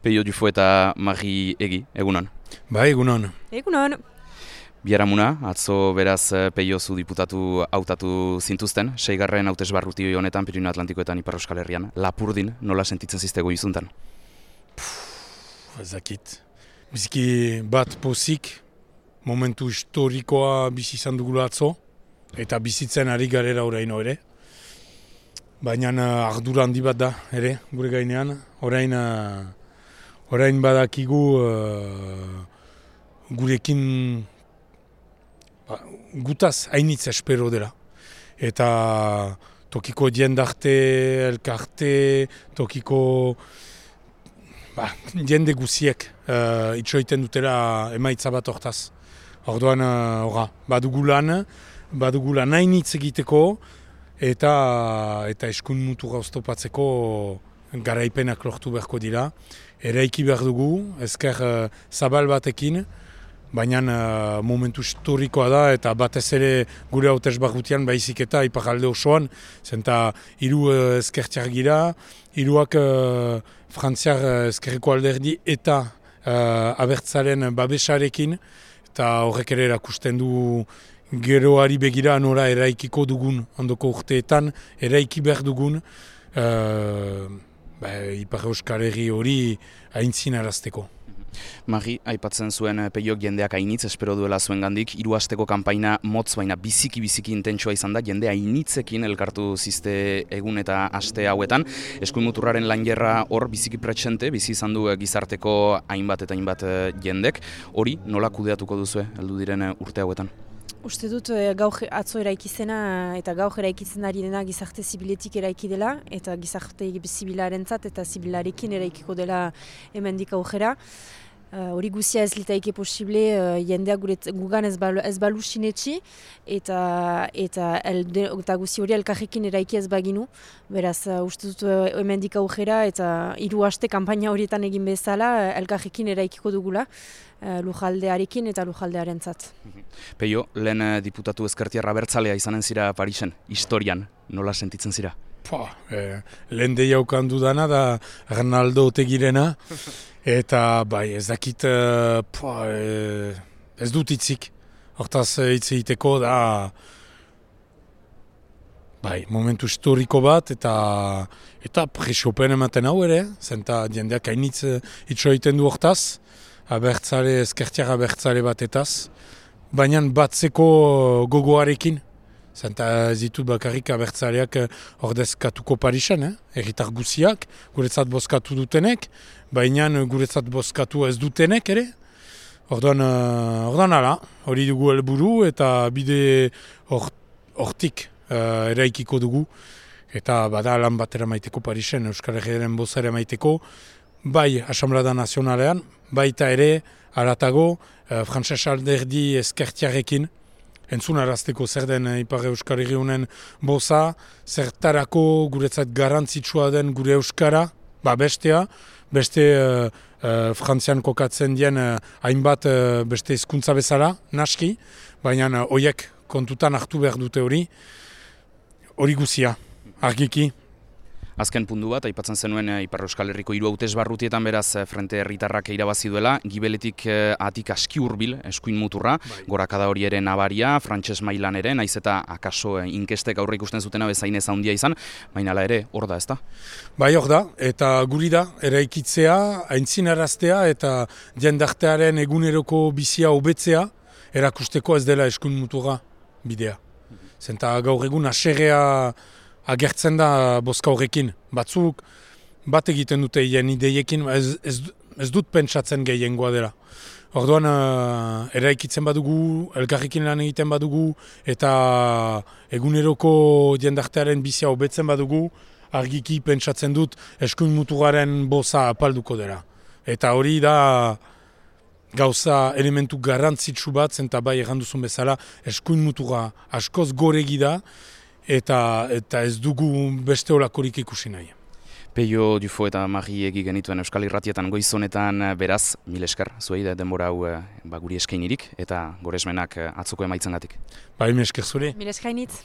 Peio Dufo eta Mari Egi, egunon. Bai, egunon. Egunon. Biharamuna, atzo beraz Peio zu diputatu hautatu zintuzten, 6. hautesbarruti honetan Pirineo Atlantikoetan Ipar Euskal Herrian. Lapurdin, nola sentitzen ziztego izuntan? Ez dakit. Biziki bat pozik, momentu historikoa bizi izan dugula atzo, eta bizitzen ari garera oraino ere. Baina ardura handi bat da ere, gure gainean. Orain badakigu gurekin gutaz hainitz espero dela. Eta tokiko jendarte, elkarte, tokiko jende guziek itxoiten dutela emaitza bat hortaz. Orduan, badugu lan hainitz egiteko eta eskuin mutura oztopatzeko garaipenak lortu beharko dira. Eraiki behar dugu, ezker zabal batekin, baina momentu historikoa da eta batez ere gure hautesbarrutian baizik eta iparralde osoan, zenta 3 ezkertiar gira, 3 frantziar ezkerreko alderdi eta abertzaren babesarekin, eta horrek ere erakusten du geroari begira nora eraikiko dugun ondoko urteetan, eraiki behar dugun Ipar Euskal Herri hori aintzinarazteko. Mari, aipatzen zuen Peiok jendeak hainitz espero duela zuengandik, 3 asteko kanpaina motz baina biziki intentsua izan da, jende hainitzekin elkartu zizte egun eta aste hauetan. Eskuin muturraren langerra hor biziki pretxente, bizi izan du gizarteko hainbat eta hainbat jendek. Hori nola kudeatuko duzue heldu diren urte hauetan? Uste dut gaur atzo eraikizena eta gaur eraikitzen ari dena gizarte zibiletik eraiki dela eta gizarte zibilarentzat eta zibilarekin eraikiko dela hemendik aurrera. Hori guzia ez litaike posible jendeak gugan ez balu sinetxi eta guzi hori elkarrekin eraiki ez baginu. Beraz, uste dut hemendik aurrera eta 3 aste kanpaina horietan egin bezala elkarrekin eraikiko dugula lujaldearekin eta lujaldearentzat. Peio, lehen diputatu ezkertiarra abertzalea izanen zira Parisen, historian, nola sentitzen zira? Lehen deiaukan dudana da Arnaldo Otegirena, eta ez dakit ez dut hitzik. Hortaz hitz egiteko da momentu historiko bat eta presiopen ematen hau ere, zenta jendeak hainitz itxo egiten du hortaz, ezkertiar abertzale batetaz, baina batzeko gogoarekin, zenta ez ditut bakarrik abertzaleak ordezkatuko Parisen, herritar guziak, guretzat bozkatu dutenek, baina guretzat bozkatu ez dutenek ere. Orduan ala, hori dugu helburu eta bide hortik eraikiko dugu, eta bada lan batera maiteko Parisen, Euskal Herriaren bozara maiteko, bai Asamblada Nazionalean, baita ere haratago frantses alderdi ezkertiarekin, entzunarazteko zer den Ipar Euskal Herri honen boza, zertarako guretzat garrantzitsua den gure Euskara, beste Frantzian kokatzen dien hainbat beste hizkuntza bezala, naski, baina horiek kontutan hartu behar dute hori guzia, argiki. Azken puntu bat, aipatzen zenuen Ipar Euskal Herriko 3 hautesbarrutietan beraz Frente Herritarrak irabazi duela, gibeletik atik aski hurbil eskuin muturra, gorakada hori ere nabaria, frantses mailan ere, naiz eta akaso inkestek aurre ikusten zutena bezain ez handia izan, baina hala ere, hor da, ezta? Bai, hor da, eta guri da, eraikitzea, aintzinaraztea eta jendartearen eguneroko bizia hobetzea, erakusteko ez dela eskuin muturra bidea. Zenta gaur egun aserrea agertzen da bozka horrekin. Batzuk bat egiten dute hien ideiekin, ez dut pentsatzen gehiengoa dela. Orduan eraikitzen badugu, elkarrekin lan egiten badugu, eta eguneroko jendartearen bizia hobetzen badugu, argiki pentsatzen dut eskuin muturraren boza apalduko dela. Eta hori da gauza elementu garrantzitsu bat, zenta bai erranduzun bezala, eskuin muturra askoz goregi da, eta ez dugu beste olakorik ikusi nahi. Peio Dufo eta Mari Egi genituen Euskal Irratietan goizonetan beraz, mil esker, zuei denbora hau guri eskainirik eta goresmenak atzoko emaitzengatik. Mil esker zure. Mil eskainitz.